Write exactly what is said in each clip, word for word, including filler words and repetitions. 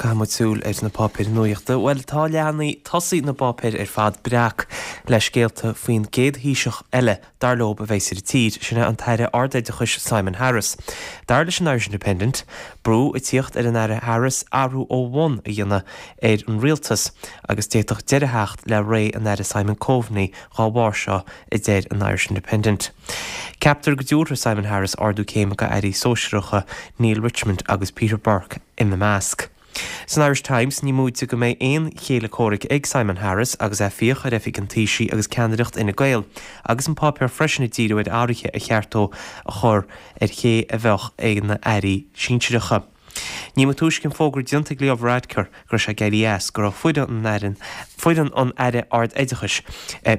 Caithfidh muid súil ar na páipéir nuachta. Bhuel tá leathanaigh tosaigh na bpáipéar ar fad breac le scéalta faoin gcéad Thaoiseach eile dar leo a bheas ar an tír, sin é an tAire Ardoideachais Simon Harris. Dar leis an Irish Independent, brú ag tíocht ar an Aire Harris athrú ó bhun a dhéanamh ar an rialtas agus d'fhéadfadh deireadh a theacht le ré an Aire Simon Coveney dá bharr seo a deir an Irish Independent. Ceaptar go dtabharfaidh Simon Harris ardú céime go airí sóisearacha Neale Richmond agus Peter Burke ina measc. San Irish Times ní móide go mbeidh aon chéile comhraic ag Simon Harris agus é ag fiach ar oifig an Taoisigh agus ceannaireacht Fhine Gael, agus an páipéar freisin ag díriú ar athruithe a cheart dó a chur ar ché a bheadh ag na airí sinsearacha. Ní ba túisce an fógra déanta ag Leo Varadkar go raibh sé ag éirí as go raibh foireann an Aire foireann an Aire Ard-Oideachais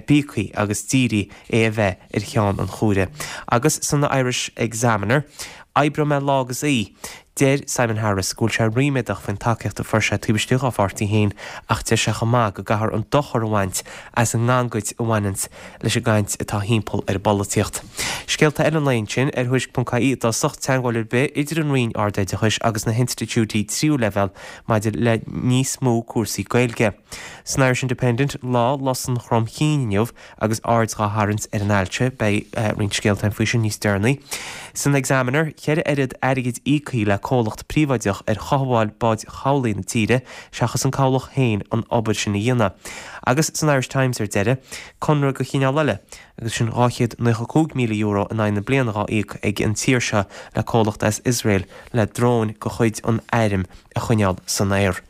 bíogtha agus d'iarr é a bheith ar cheann an chomhaire. Agus san Irish Examiner, Oibreoidh mé lá agus oíche. Deir Simon Harris go bhfuil sé ríméadach faoin tacaíocht a fuair sé taobh istigh dá pháirtí féin ach deir sé chomh maith go gcaithfear an dochar a bhaint as an ngangaid a bhaineanns leis an gcaint atá thimpeall ar an bpolaitíocht. Scéalta eile an lae ansin ar Thuairisc.ie i dtosach teagmháil ar bith idir an Roinn Ardoideachais agus na hinstitiúidí tríú leibhéal maidir le níos mó cúrsaí Gaeilge. San Irish Independent lá Lus an Chromchinn inniu agus aird dhá tharraingt ar an ailse, beidh roinnt scéalta faoi sin níos deireanaí. San Examiner, ceithre oiread airgid íoctha le comhlacht príobháideach ar chothabháil báid chabhlaigh na tíre seachas an cabhlach féin an obair sin a dhéanamh. Agus san Irish Times ar deireadh, conradh de chineál eile, agus sin dhá chéad naocha cúig míle euro in aghaidh na bliana dhá íoc ag an tír seo le comhlacht as Iosrael le dróin de chuid an airm a choinneáil san aer.